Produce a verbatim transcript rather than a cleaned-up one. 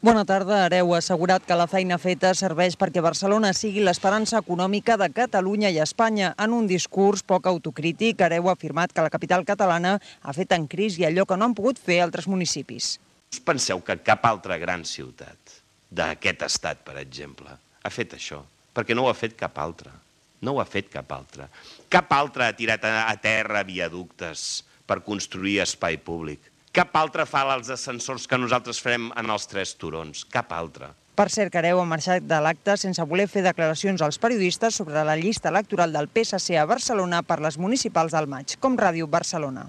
Bona tarda. Hereu ha assegurat que la feina feta serveix perquè Barcelona sigui l'esperança econòmica de Catalunya i Espanya. En un discurs poc autocrític, Hereu ha afirmat que la capital catalana ha fet en crisi allò que no han pogut fer altres municipis. Us penseu que cap altra gran ciutat d'aquest estat, per exemple, ha fet això? Perquè no ho ha fet cap altra. No ho ha fet cap altra. Cap altra ha tirat a terra viaductes per construir espai públic. Cap altre fa els ascensors que nosaltres farem en els tres turons. Cap altre. Per cert, Hereu ha marxat de l'acte sense voler fer declaracions als periodistes sobre la llista electoral del P S C a Barcelona per les municipals del maig, com Ràdio Barcelona.